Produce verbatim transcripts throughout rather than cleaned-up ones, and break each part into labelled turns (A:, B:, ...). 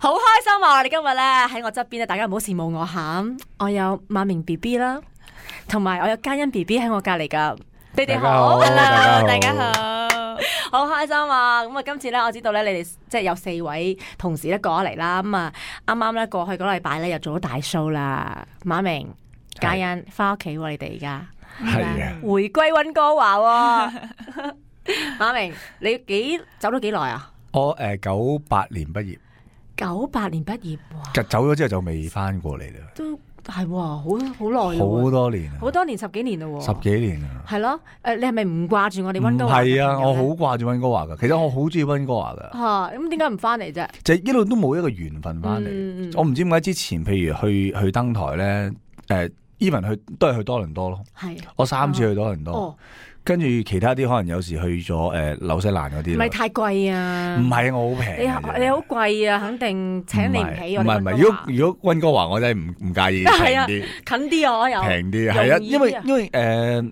A: 好開心啊！我哋今日咧喺我側邊咧，大家唔好羨慕我吓，我有馬明 B B 啦，同埋我有嘉欣 B B 喺我隔籬噶。你哋好
B: ，Hello，
C: 大家好，
A: 好開心啊！咁啊，今次咧我知道咧，你哋即係有四位同事咧過咗嚟啦。咁啊，啱啱咧過去嗰個禮拜咧又做咗大 show 啦。馬明、嘉欣翻屋企喎，你哋而家
B: 係啊，
A: 回歸溫哥華喎。馬明，你幾走咗幾耐啊？
B: 我誒九八年畢業，
A: 九八年畢業，哇！
B: 走咗之後就未翻過嚟啦，
A: 都係喎，好好耐
B: 好多年啊，
A: 好多年十幾年咯喎，
B: 十幾年啊，
A: 係咯。誒，你係咪唔掛住我哋
B: 唔
A: 溫哥華？
B: 係啊，我好掛住溫哥華噶，其實我好中意溫哥華噶，
A: 嚇，咁點解唔翻嚟啫？
B: 就一路都冇一個緣分翻嚟。
A: 嗯嗯
B: 我唔知點解之前，譬如去去登台咧，誒 even 去都係去多倫多咯，
A: 係
B: 我三次去多倫多。
A: 哦，
B: 跟住其他啲可能有時去咗誒紐西蘭嗰啲啦，
A: 唔係太貴啊？
B: 唔係我好平
A: 你
B: 嘅啫，
A: 你好貴啊，肯定請你唔起我哋
B: 唔係唔係，
A: 溫哥華
B: 如果如果溫哥華我真係唔唔介意平
A: 係啊
B: 啲，
A: 近啲啊，我有
B: 平啲係啊，
A: 容易啲啊
B: 因為因為誒、呃，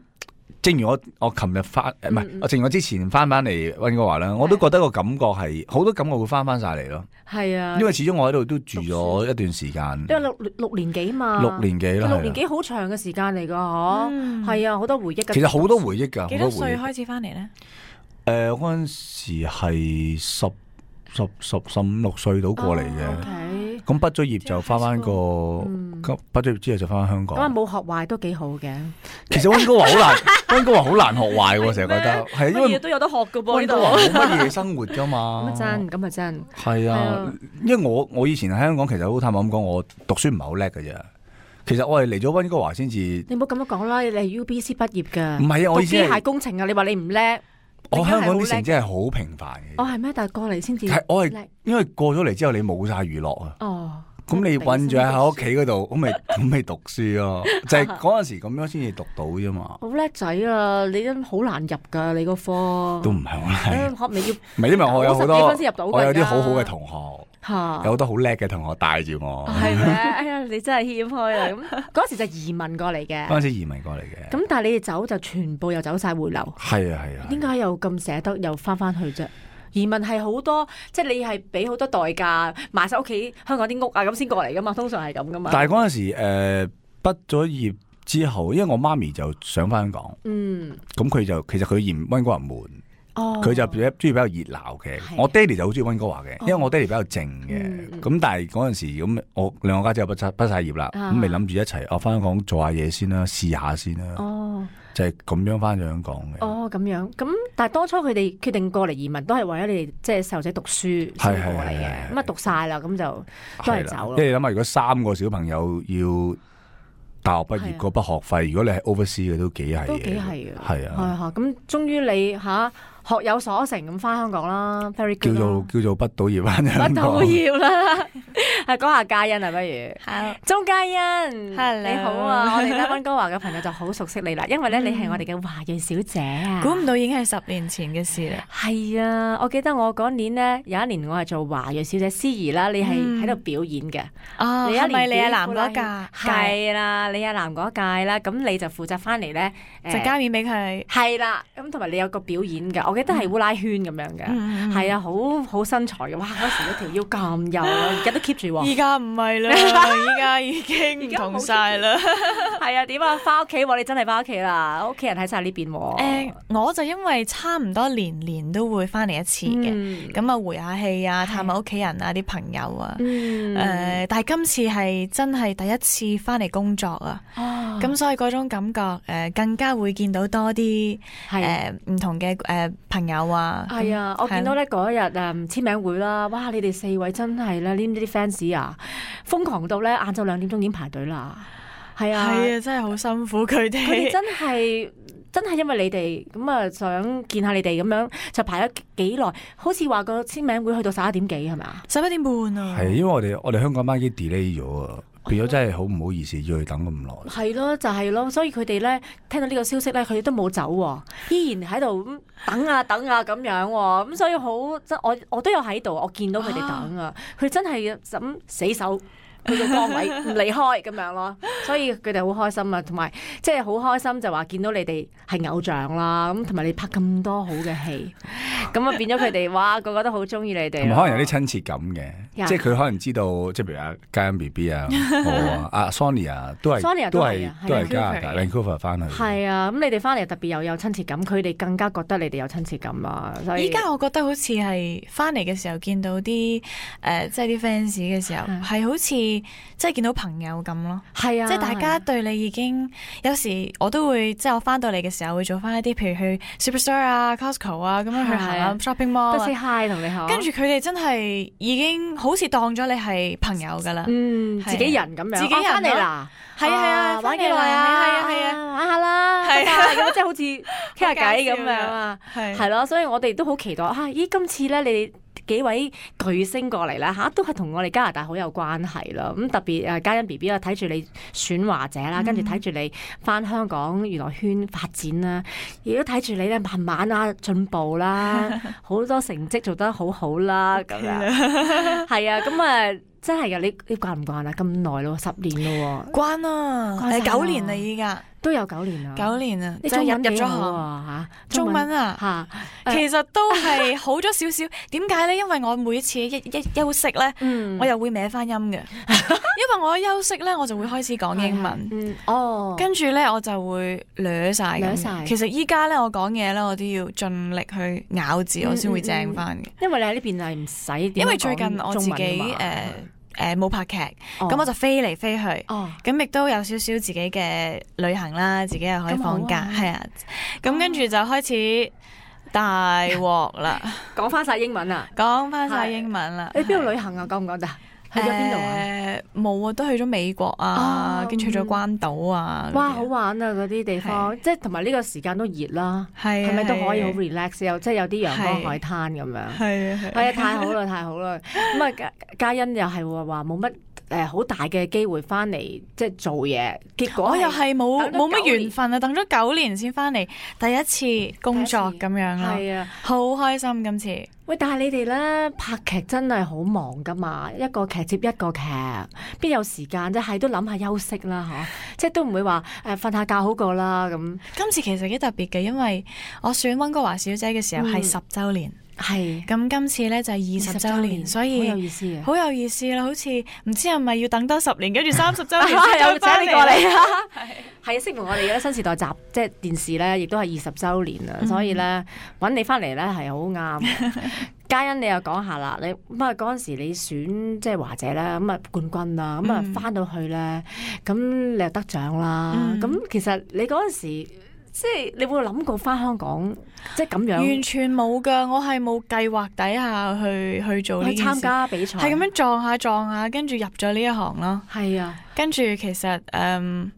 B: 正如我我琴日翻誒唔係，
A: 嗯嗯
B: 我正如我之前翻翻嚟溫哥華啦，我都覺得個感覺係好多感覺會翻翻晒嚟咯，
A: 係啊，
B: 因為始終我喺度都住咗一段時間，
A: 因為六六年幾嘛，
B: 六年幾啦，
A: 六年幾好長嘅時間嚟㗎，嗬，
C: 嗯
A: 係啊，好多回憶㗎。
B: 其實好多回憶㗎，
C: 幾多
B: 好多回憶。
C: 歲開始翻嚟咧？
B: 誒嗰陣時係十十十十五六歲到過嚟嘅。
A: 哦，OK。
B: 咁畢咗業就翻翻個，
A: 嗯
B: 咁畢咗業之後就翻翻香港。
A: 咁啊冇學壞都幾好嘅，
B: 其實溫哥華好難，溫哥華好難學壞喎，成日覺得係因為
A: 乜嘢都有得學㗎噃呢度。
B: 溫哥華冇乜嘢生活噶嘛。
A: 咁啊真，咁啊真。
B: 係啊
A: 係啊，
B: 因為我我以前喺香港其實好坦白咁講，我讀書唔係好叻嘅啫。其實我係嚟咗溫哥華先至，
A: 你唔好咁樣講啦，你係 U B C 畢業㗎。
B: 唔係啊，我意思係
A: 讀機械工程啊，你話你唔叻，
B: 我香港啲成
A: 績。
B: 績係好平凡嘅。
A: 哦，係咩？但係過嚟先至
B: 係我係
A: 叻。
B: 因為過咗嚟之後，你冇晒娛樂啊。
A: 哦。
B: 咁你韞住喺屋企嗰度，咁咪咁咪讀書咯，就係嗰陣時咁樣先至讀到啫嘛。
A: 好叻仔啊！你都好難入㗎，你個科。
B: 都唔係好難，
A: 學未要
B: 唔係因為我有好多，
A: 九十幾分先入到㗎
B: 我有啲
A: 而家
B: 好好嘅同學，
A: 嚇。
B: 有好多好叻嘅同學帶住我。
A: 係咩？哎呀，你真係謙虛啊！咁嗰時就移民過嚟嘅。
B: 嗰陣時移民過嚟嘅。
A: 咁但係你哋走就全部又走晒回流。
B: 係啊係啊。
A: 點解又咁捨得又翻翻去啫？移民係好多，即係你係俾好多代價賣晒屋企香港啲屋啊，咁先過嚟噶嘛，通常係咁噶嘛。
B: 但係嗰陣時誒畢咗業之後，因為我媽咪就想翻香港，
A: 嗯，
B: 咁佢就其實佢嫌溫哥華悶，
A: 哦，
B: 佢就比較中意比較熱鬧嘅。
A: 係
B: 我爹哋就好中意溫哥華嘅，因為我爹哋比較靜
A: 嗯
B: 嘅。
A: 嗯
B: 咁但係嗰陣時咁，我兩個家姐又畢畢畢曬業啦，
A: 啊
B: 咁咪諗住一齊，我翻香港做下嘢先啦，試下先啦，
A: 哦
B: 就係咁樣翻咗香港嘅。
A: 哦咁樣，咁但係當初佢哋決定過嚟移民都係為咗你哋即係細路仔讀書先過嚟
B: 係係係
A: 嘅，
B: 係
A: 咁啊讀晒啦，咁就都係
B: 係啦
A: 走咯
B: 因。為你諗下，如果三個小朋友要大學畢業嗰筆學費，如果你係 oversea 嘅都幾係嘅，
A: 都幾係嘅，
B: 係啊，
A: 係嚇。咁終於你嚇學有所成咁翻香港啦，very
B: 叫
A: good
B: 做
A: 啦
B: 叫做畢到業翻
A: 乜
B: 香港
A: 都。要啦，係講下嘉欣啊，不如。
C: 好，
A: 鍾嘉欣
C: Hello
A: 你好啊！我哋咧溫哥華嘅朋友就好熟悉你啦，因為咧你係我哋嘅華裔小姐啊。
C: 估唔到已經係十年前嘅事啦。
A: 係啊！我記得我嗰年咧有一年我係做華裔小姐司儀啦，你係
C: 嗯
A: 喺度表演嘅。
C: 哦，
A: 你一年
C: 係咪李亞
A: 表
C: 男嗰
A: 演屆
C: 屆？
A: 係啦，李亞男嗰屆啦，咁你就負責翻嚟咧，誒
C: 就加面俾佢。
A: 係啦，咁同埋你有個表演嘅，我記得係烏拉圈咁樣嘅，
C: 嗯
A: 係啊，好好身材嘅，哇！嗰時嗰條腰咁幼啊，而家都 keep 住喎。
C: 依家唔係啦，依家已經唔同晒啦。
A: 係啊，點啊？翻屋企喎，你真係翻屋企啦，屋企人喺晒呢邊喎。
C: 誒，我就因為差唔多年年都會翻嚟一次嘅，
A: 嗯
C: 咁啊回下氣啊，探下屋企人啊，啲朋友啊。
A: 嗯
C: 誒，但係今次係真係第一次翻嚟工作啊，
A: 哦
C: 咁所以嗰種感覺誒更加會見到多啲
A: 係
C: 誒唔同嘅誒朋友啊。
A: 係啊，我見到咧嗰日誒簽名會啦，哇！你哋四位真係咧，呢啲 fans 啊，瘋狂到咧晏晝兩點鐘已經排隊啦。係啊，
C: 係啊，真係好辛苦佢
A: 佢哋
C: 哋。
A: 真係真係因為你哋咁啊，想見下你哋咁樣，就排咗幾耐，好似話個簽名會去到十一點幾係咪啊？
C: 十一點半啊，
B: 係因為我哋我哋香港班已經 delay 咗啊，變咗真係好唔好意思要佢等咁耐。
A: 係咯，就係咯，所以佢哋咧聽到呢個消息咧，佢哋都冇走喎，依然喺度咁等啊等啊咁樣喎，咁所以好真，我我都有喺度，我見到佢哋等啊，佢真係咁死守佢個崗位唔離開咁樣咯，所以佢哋好開心啊，同埋即係好開心就話見到你哋係偶像啦，咁同埋你拍咁多好嘅戲，咁啊變咗佢哋哇個個都好中意你哋，
B: 同埋可能有啲親切感嘅，
A: Yeah.
B: 即係佢可能知道，即係譬如阿嘉欣 B B 啊，我啊，阿 Sonia 啊，都係
A: Sonia
B: 都係
A: 都係啊
B: 都係加拿大 Vancouver 翻去。
A: 係啊，咁你哋翻嚟特別又有親切感，佢哋更加覺得你哋有親切感啊，所以
C: 依家我覺得好似係翻嚟嘅時候見到啲誒、呃，即係啲 fans 嘅時候，係好似即係見到朋友咁咯。
A: 係啊，
C: 即係大家對你已經有時我都會即係我翻到嚟嘅時候會做翻一啲，譬如去 Superstore 啊、Costco 啊咁樣去行下 shopping mall
A: 都 say
C: 啊。
A: hi 同你好，
C: 跟住佢哋真係已經好似當咗你係朋友噶啦，
A: 嗯，自己人咁樣，
C: 自己人
A: 翻嚟啦，
C: 係啊係啊，
A: 玩幾耐啊？
C: 係啊係啊，
A: 玩下啦，係啊，咁即係好似傾下偈咁樣啊，
C: 係
A: 係咯，所以我哋都好期待啊！咦，今次咧你哋幾位巨星過嚟啦嚇，都係同我哋加拿大好有關係啦。咁特別誒嘉欣 B B 啊，睇住你選華姐啦，跟住睇住你翻香港娛樂圈發展啦，亦都睇住你咧慢慢啊進步啦，好多成績做得好好啦，咁樣係啊，咁啊真係噶，你你慣唔慣啊？咁耐咯，十年咯，
C: 關啦，
A: 關晒
C: 係九年啦依家，
A: 都有九年啦，
C: 九年啊，
A: 你
C: 就入入咗
A: 中文幾好
C: 行
A: 啊嚇，
C: 中文啊
A: 嚇，
C: 其實都係好咗少少。點解咧？因為我每次一一休息咧，
A: 嗯
C: 我又會歪翻音嘅。因為我一休息咧，我就會開始講英文。
A: 嗯，哦，
C: 跟住咧，我就會掠晒咁。
A: 掠晒
C: 其實依家咧，我講嘢咧，我都要盡力去咬字，我先會正翻嘅。
A: 因為你喺呢邊係唔使點樣講中文㗎嘛，
C: 因為最近我自己誒誒冇拍劇，咁我就飛嚟飛去。
A: 哦，
C: 咁亦都有少少自己嘅旅行啦，自己又可以放假，係啊。咁跟住就開始大鑊啦，
A: 講翻晒英文啊！
C: 講翻晒英文啦。
A: 你邊度旅行啊？講唔講得？去咗邊度啊？
C: 誒冇啊，都去咗美國啊，跟住去咗關島啊。
A: 哇，好玩啊！嗰啲地方，即係同埋呢個時間都熱啦，
C: 係
A: 係咪都可以好 relax？又即係有啲陽光海灘咁樣。
C: 係啊
A: 係啊，太好啦，太好啦！咁啊，嘉嘉欣又係話冇乜誒好大嘅機會翻嚟即係做嘢，結果
C: 我又係冇冇乜緣
A: 分。
C: 分啊，等咗九年先翻嚟，第一次工作咁樣咯。
A: 係啊，
C: 好開心今次。
A: 喂，但係你哋咧拍劇真係好忙噶嘛，一個劇接一個劇，邊有時間啫？係都諗下休息啦，嗬，即係都唔會話誒瞓下覺好過啦咁。
C: 今次其實幾特別嘅，因為我選溫哥華小姐嘅時候係十週年。
A: 係，
C: 咁今次咧就係二十週年，所以
A: 好有意思嘅，
C: 好有意思啦！好似唔知係咪要等多十年，跟住三十週年先
A: 又
C: 再翻
A: 請你過嚟
C: 嚟
A: 啊！係啊，適逢我哋嘅新時代集即係電視咧，亦都係二十週年啦，所以咧揾你翻嚟咧係好啱嘅。嘉欣，你又講下啦，你咁啊嗰陣時你選即係華姐啦，咁啊冠軍啦，咁啊翻到去咧，咁你又得獎啦，咁其實你嗰陣時。即係你會諗過翻香港，即係咁樣，
C: 完全冇噶，我係冇計劃底下去去做呢件事，
A: 參加比賽，
C: 係咁樣撞下撞下，跟住入咗呢一行咯。
A: 係啊，
C: 跟住其實誒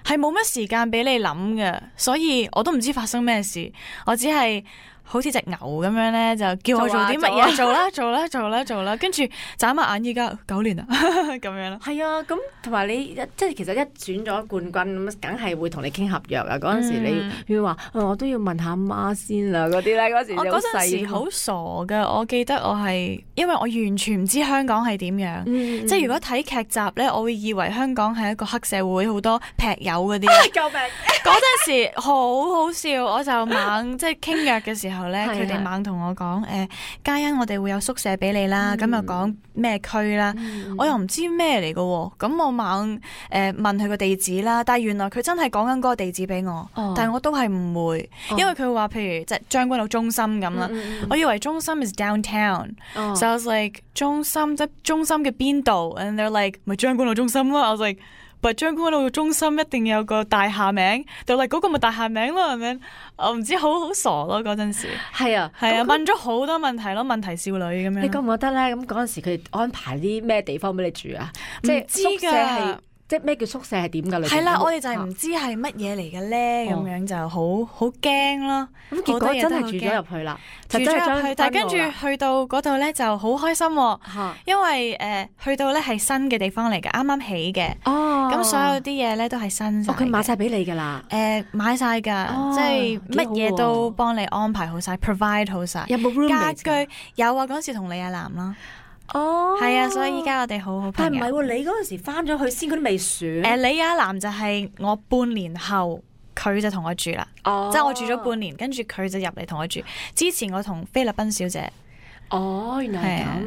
C: 係冇乜時間俾你諗嘅，所以我都唔知發生咩事，我只係。好似隻牛咁樣咧，就叫我做啲乜嘢做啦，做啦，做啦，做啦，跟住眨下眼，依家九年啦，咁樣咯。
A: 係啊，咁同埋你即係其實一選咗冠軍咁，梗係會同你傾合約啊。嗰陣時你要話、嗯，我都要問下阿媽先啦。嗰啲咧，嗰時
C: 我嗰陣時好傻噶，我記得我係因為我完全唔知香港係點樣，嗯、即係如果睇劇集咧，我會以為香港係一個黑社會，好多劈友嗰啲。
A: 救命！
C: 嗰陣時好好笑，我就猛即係傾約嘅時候。後咧，佢哋猛同我講，誒，嘉欣，我哋會有宿舍俾你啦，咁又講咩區啦，我又唔知咩嚟嘅，咁我猛誒問佢個地址啦，但係原來佢真係講緊嗰個地址俾我，但係我都係唔會，因為佢話譬如即係將軍澳中心咁啦，我以為中心 is downtown，so I was like 中心即係中心嘅邊度 ，and they're like 咪將軍澳中心咯，I was like。但係將軍澳中心一定有個大廈名，就嚟嗰個咪大廈名咯，係咪？我唔知，好好傻咯嗰陣時。
A: 係啊，
C: 係啊，問咗好多問題咯，問題少女咁樣。
A: 你覺唔覺得咧？咁嗰陣時佢哋安排啲咩地方俾你住啊？即係宿舍係。即係咩叫宿舍係點㗎？
C: 係啦，我哋就係唔知係乜嘢嚟嘅咧，咁、哦、樣就好好驚咯。
A: 咁結果真係住咗入去啦，
C: 住咗入去，但係跟住去到嗰度咧就好開心、啊，因為誒、呃、去到咧係新嘅地方嚟嘅，啱啱起嘅。哦，咁所有啲嘢咧都係新。
A: 佢、哦、買晒俾你㗎啦。
C: 誒、呃，買晒㗎，哦、即係乜嘢都幫你安排好晒、哦、provide 好晒。
A: 有冇 roommate？
C: 家居有啊，嗰時同李亞男啦。
A: 哦，
C: 係啊，所以依家我哋好好朋友。
A: 但係唔係喎，你嗰陣時翻咗去先，佢都未選。
C: 誒，李亞男就係我半年後，佢就同我住啦。
A: 哦，
C: 即係我住咗半年，跟住佢就入嚟同我住。之前我同菲律賓小姐。
A: 哦，原來係咁。
C: 係啊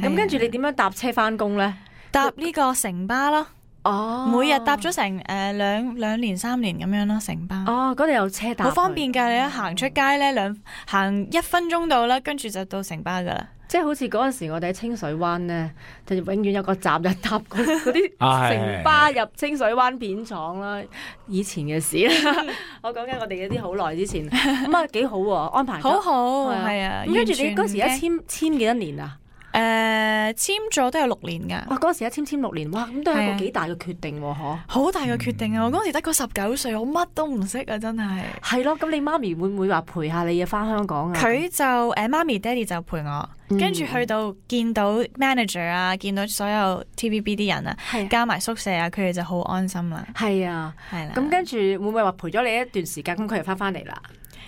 A: 咁跟住你點樣搭車翻工咧？
C: 搭呢個城巴咯。
A: 哦，
C: 每日搭咗成誒兩兩年三年咁樣咯，城巴。
A: 哦，嗰度有車搭，
C: 好方便㗎！你一行出街咧，兩行一分鐘到啦，跟住就到城巴㗎啦。
A: 即係好似嗰陣時我哋喺清水灣咧，就永遠有個站就搭嗰嗰啲
B: 啊
A: 城巴入清水灣片廠啦。以前嘅事啦，我講緊我哋嗰啲好耐之前，咁啊幾好喎，安排得
C: 好好
A: 係啊
C: 係啊。
A: 咁跟住你嗰時一
C: 完全唔驚
A: 簽簽幾多年啊？
C: 誒簽咗都有六年㗎。
A: 哇！嗰時一簽簽六年，哇！咁都係一
C: 係啊
A: 個幾大嘅決定喎，嗬。
C: 好大嘅決定啊！我嗰時得個十九歲，我乜都唔識啊，真係。
A: 係咯，咁你媽咪會唔會話陪下你啊？翻香港啊？
C: 佢就誒媽咪爹哋就陪我，
A: 嗯
C: 跟住去到見到 manager 啊，見到所有 T V B 啲人啊，
A: 係
C: 加埋宿舍啊，佢哋就好安心啦。
A: 係啊，
C: 係啦。
A: 咁跟住會唔會話陪咗你一段時間？咁佢又翻翻嚟啦。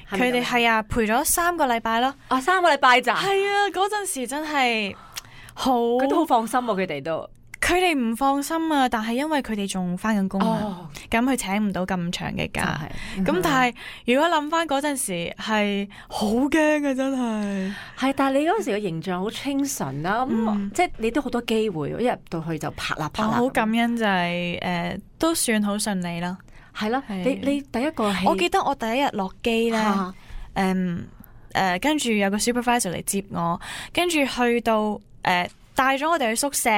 A: 係咪
C: 佢哋
A: 咁
C: 係啊，陪咗三個禮拜咯。
A: 啊三個禮拜咋？
C: 係啊，嗰陣時真係好，
A: 佢都好放心喎，佢哋都。
C: 佢哋唔放心啊，但係因為佢哋仲翻緊工啊，
A: 哦，
C: 咁佢請唔到咁長嘅
A: 就
C: 假。
A: 係。
C: 咁但係如果諗翻嗰陣時係好驚啊，真係。
A: 係，但係你嗰時嘅形象好清純啦，咁、
C: 嗯
A: 即係你都好多機會，一入到去就拍啦拍啦。
C: 我好感恩就係、誒、都算好順利啦。
A: 係啦，
C: 係
A: 你你第一個戲，
C: 我記得我第一日落機咧，誒
A: 嚇
C: 誒、跟住有個 supervisor 嚟接我，跟住去到誒。帶咗我哋去宿舍，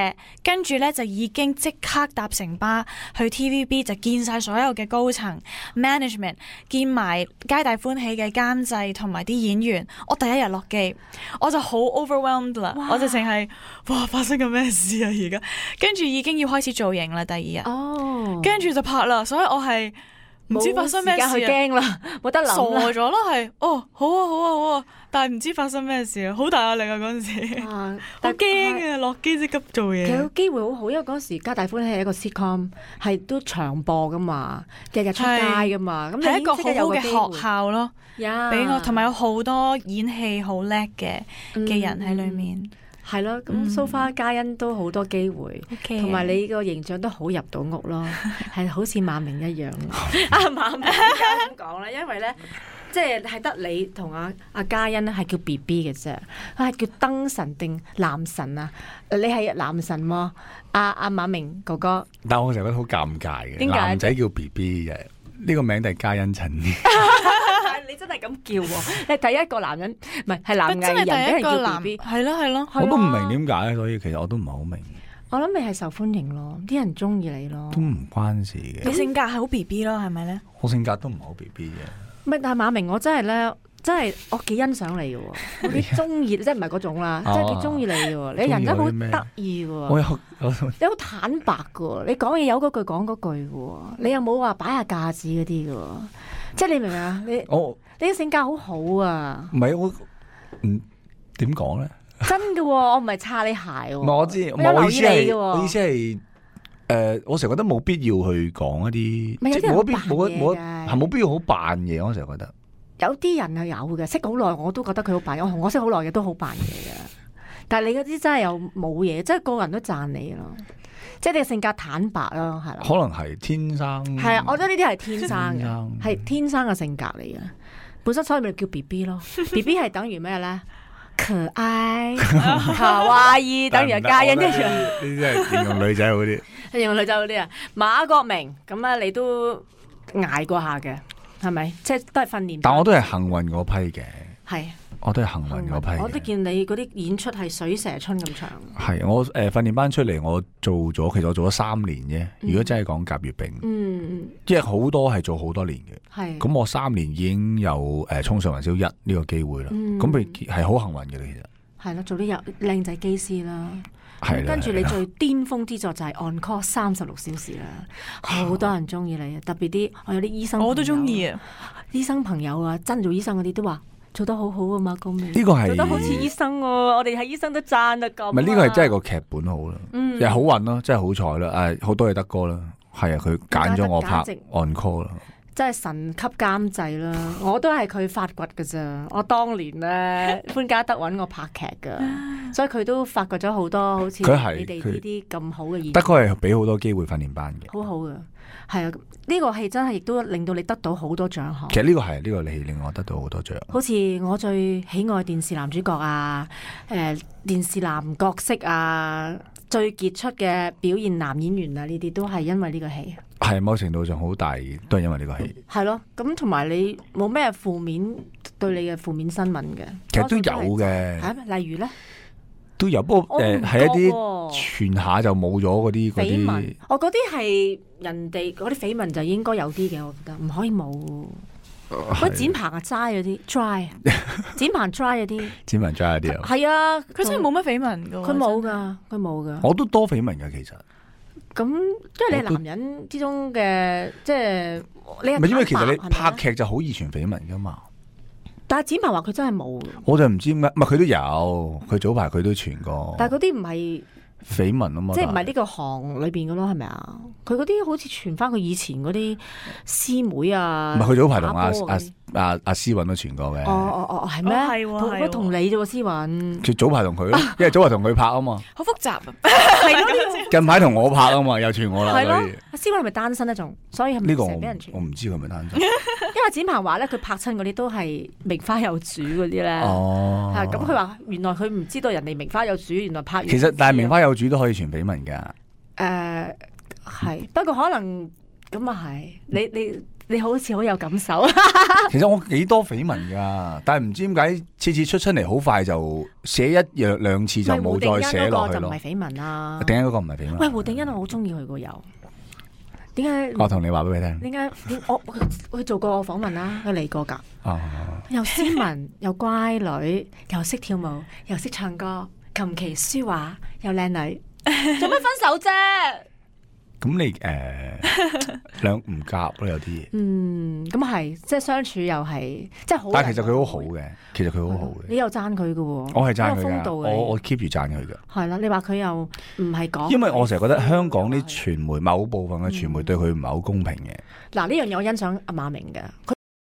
C: 跟住咧就已經即刻搭城巴去 T V B，就見晒所有嘅高層 management，見埋皆大歡喜嘅監製同埋啲演員。我第一日落機，我就好 overwhelmed 啦，我就淨係哇發生緊咩事啊而家，跟住已經要開始造型啦，第二日，
A: 哦，
C: 跟住就拍啦，所以我係唔知發生咩事
A: 冇時間去驚啦，冇得
C: 傻
A: 諗啦。
C: 咗咯，係哦，好啊，好啊，好啊，但係唔知發生咩事啊，好大壓力啊嗰陣時，好
A: 啊但
C: 驚啊，落機即刻做嘢。
A: 其實個機會好好，因為嗰陣時《皆大歡喜》係一個 sitcom，係都長播噶嘛，日日出街噶嘛，咁你
C: 係一個好
A: 即刻有
C: 好嘅
A: 機會
C: 學校咯，
A: 呀
C: 俾我同埋有好多演戲好叻嘅嘅人喺裏面。
A: 係咯，咁
C: 嗯
A: so far 嘉欣都好多機會。
C: OK，
A: 同埋你個形象都好入到屋咯，係好似馬明一樣。啊，馬明點解咁講咧？因為咧，即係係得你同阿阿嘉欣咧係叫 B B 嘅啫，佢係叫燈神定男神啊？你係男神喎，阿阿馬明哥哥。
B: 但我成日覺得好尷尬嘅，
A: 點解
B: 男仔叫 B B 嘅，呢個名都係嘉欣襯啲。
A: 你真係咁叫喎？你係第一個男人，唔係係男
C: 真係
A: 藝人俾
C: 第一個
A: 人叫
C: 男，
A: B B。
C: 係咯係咯，
B: 我都唔明點解，所以其實我都唔係好明，
A: 我諗你係受歡迎咯，啲人中意你咯
B: 都。唔關事嘅。
C: 你性格係好 B B 咯，係咪咧？
B: 我性格都唔係好 B B 嘅。
A: 唔係，但係馬明我真係咧，真係我幾欣賞你嘅喎，我幾中意，即係唔係嗰種啦，
B: 哦
A: 即係幾中意你嘅喎，你人真係好得意嘅喎，
B: 我有有
A: 你好坦白嘅喎，你講嘢有嗰句講嗰句嘅喎，你又冇話擺下架子嗰啲嘅喎，即係你明唔明啊？你
B: 我
A: 你嘅性格好好啊，
B: 唔係我唔點講咧？
A: 真嘅喎，我唔係擦你鞋喎，
B: 唔係我知，
A: 我有留意你
B: 我意思係
A: 嘅喎，
B: 我意思係誒，我成日覺得冇必要去講一啲，
A: 咪有啲人
B: 即係冇必
A: 扮
B: 冇冇
A: 嘢嘅
B: 係冇必要好扮嘢。我成日覺得
A: 有啲人係有嘅，識好耐我都覺得佢好扮嘢，我同我識好耐嘅都好扮嘢嘅，但係你嗰啲真係又冇嘢，即係個個人都讚你咯。即係你嘅性格坦白咯，係啦。
B: 可能係天生
A: 係啊，我覺得呢啲係天生嘅，
B: 天生
A: 係天生嘅性格嚟嘅。本身所以咪叫 B B 咯，B B 係等於咩咧？可愛、卡哇伊，等於係嘉欣一樣。
B: 呢啲係形容女仔好啲。
A: 形容女仔嗰啲啊，馬國明咁啊，你都捱過下嘅，係咪？即係都係訓練。
B: 但我都係幸運嗰批嘅，
A: 係
B: 我都係幸運嗰批嘅。
A: 我都見你嗰啲演出係水蛇春咁長。
B: 係我誒訓練班出嚟，我做咗，其實我做咗三年啫。如果真係講甲乙丙，
A: 嗯，
B: 即係好多係做好多年嘅。
A: 係。
B: 咁我三年已經有誒衝上雲霄一呢個機會啦。
A: 嗯
B: 咁佢係好幸運嘅，其實
A: 係咯，做啲有靚仔機師啦。
B: 係啦。
A: 跟住你
B: 係啦
A: 最巔峰之作就係 On Call 三十六小時啦，好多人中意你啊！特別啲我有啲醫生，
C: 我都中意。啊！
A: 醫生朋友啊，真做醫生嗰啲都話做得好好啊嘛，高明
B: 呢個係
A: 做得好似醫生喎，我哋係醫生都讚得咁啊。
B: 唔係呢個係真係個劇本好啦，
A: 嗯
B: 又係好運咯，真係好彩啦！誒，好多嘢得哥啦，係啊，佢揀咗我拍
A: 價值
B: On Call 啦。
A: 真係神級監製啦！我都係佢發掘㗎咋。我當年咧潘嘉德揾我拍劇㗎，所以佢都發掘咗好多好似
B: 佢係
A: 你哋呢啲咁好嘅演員。
B: 德哥係俾好多機會訓練班嘅，
A: 好好嘅，係啊！呢個戲真係亦都令到你得到好多獎項。
B: 其實呢個係呢個戲令我得到好多獎。
A: 好似我最喜愛電視男主角啊，誒電視男角色啊，最傑出嘅表現男演員啊，呢啲都係因為呢個戲。
B: 係某程度上好大，都係因為呢個戲。
A: 係咯，咁同埋你冇咩負面對你嘅負面新聞嘅，
B: 其實都有嘅。
A: 係咩？例如咧，
B: 都有，不過誒係一啲
A: 啲
B: 傳下就冇咗嗰啲嗰
A: 緋聞
B: 啲。。
A: 我嗰啲係人哋嗰啲緋聞就應該有啲嘅，我覺得唔可以冇。嗰啲剪棚啊齋嗰啲 dry，剪棚 dry 嗰啲，
B: 剪文齋嗰啲啊，
A: 係啊，
C: 佢真係冇乜緋聞噶，
A: 佢冇噶，佢冇噶。
B: 我都多緋聞㗎其實。
A: 咁因為你係男人之中嘅，即係你
B: 唔係因為其實你
A: 係咪
B: 拍劇就好易傳緋聞㗎嘛。
A: 但係展鵬話佢真係冇，
B: 我就唔知點解，唔係佢都有，佢早排佢都傳過。
A: 但係嗰啲唔係
B: 緋聞啊嘛，
A: 即係唔係呢個行裏邊嘅咯，係咪啊？佢嗰啲好似傳翻佢以前嗰啲師妹啊，
B: 唔係佢早排同阿
A: 打波嗰啲
B: 阿阿思韻都傳過嘅。
A: 哦哦哦，係咩？
C: 哦係喎
A: 同
C: 係喎
A: 同你啫喎，思韻。
B: 佢早排同佢咯，因為早排同佢拍啊嘛，
C: 好複雜啊！
A: 係咯，呢
B: 近排同我拍啊嘛，又傳我啦。
A: 個係咯
B: 所以。
A: 阿思韻係咪單身咧？仲所以係咪
B: 呢個我
A: 成日俾人傳？
B: 我唔知佢係咪單身。
A: 因為展鵬話咧，佢拍親嗰啲都係名花有主嗰啲咧。
B: 哦，
A: 係咁，佢話原來佢唔知道人哋名花有主，原來拍完
B: 其實但係名
A: 先知
B: 花有主都可以傳緋聞㗎。
A: 誒係，不過可能咁啊係，你你你好似好有感受。
B: 其實我幾多緋聞㗎，但係唔知點解次次出出嚟好快就寫一樣兩次就冇再寫落去咯
A: 就唔係。緋聞啦。
B: 定欣嗰個唔係緋聞。
A: 喂，胡定欣我好中意佢個友，點解？
B: 我同你話俾佢聽。
A: 點解？點我佢做過訪問啦，佢嚟過㗎，
B: 哦，
A: 又斯文又乖女，又識跳舞，又識唱歌，琴棋書畫又靚女，做乜分手啫？
B: 咁你誒兩唔夾咯，有啲嘢。
A: 嗯，咁係，即係相處又係，即係好。
B: 但係其實佢好好嘅，其實佢好好嘅。
A: 你又讚佢嘅喎，
B: 我係讚佢㗎，
A: 好有風度嘅
B: 我我 keep 住讚佢㗎。
A: 係啦，你話佢又唔係講，
B: 因為我成日覺得香港啲傳媒某部分嘅傳媒對佢唔係好公平嘅。
A: 嗱呢樣嘢我欣賞阿馬明嘅。